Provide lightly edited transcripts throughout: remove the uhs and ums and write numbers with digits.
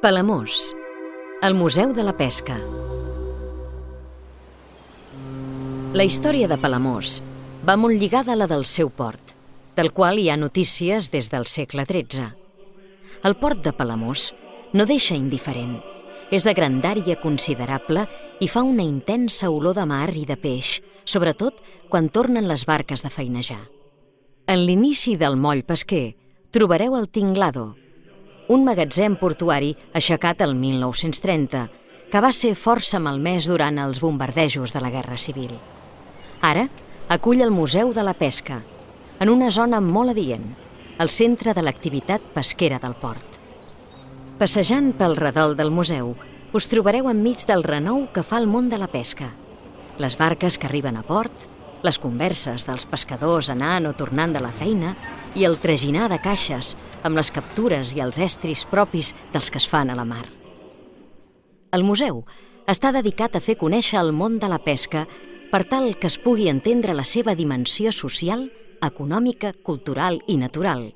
Palamós, el Museu de la Pesca. La història de Palamós va molt lligada a la del seu port, del qual hi ha notícies des del segle XIII. El port de Palamós no deixa indiferent. És de grandària considerable i fa una intensa olor de mar i de peix, sobretot quan tornen les barques de feinejar. En l'inici del moll pesquer trobareu el Tinglado, un magatzem portuari aixecat el 1930, que va ser força malmès durant els bombardejos de la Guerra Civil. Ara acull el Museu de la Pesca, en una zona molt adient, al centre de l'activitat pesquera del port. Passejant pel redol del museu, us trobareu enmig del renou que fa el món de la pesca. Les barques que arriben a port, les converses dels pescadors anant o tornant de la feina i el traginar de caixes amb les captures i els estris propis dels que es fan a la mar. El museu està dedicat a fer conèixer el món de la pesca per tal que es pugui entendre la seva dimensió social, econòmica, cultural i natural,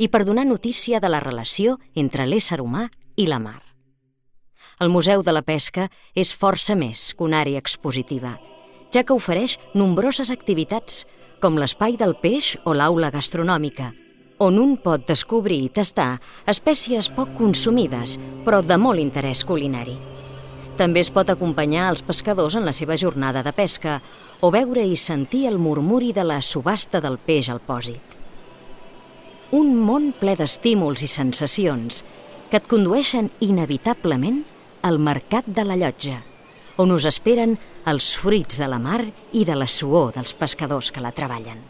i per donar notícia de la relació entre l'ésser humà i la mar. El Museu de la Pesca és força més que una àrea expositiva, ja que ofereix nombroses activitats, com l'espai del peix o l'aula gastronòmica, on un pot descobrir i tastar espècies poc consumides, però de molt interès culinari. També es pot acompanyar els pescadors en la seva jornada de pesca o veure i sentir el murmuri de la subhasta del peix al pòsit. Un món ple d'estímuls i sensacions que et condueixen inevitablement al mercat de la Llotja, on us esperen els fruits de la mar i de la suor dels pescadors que la treballen.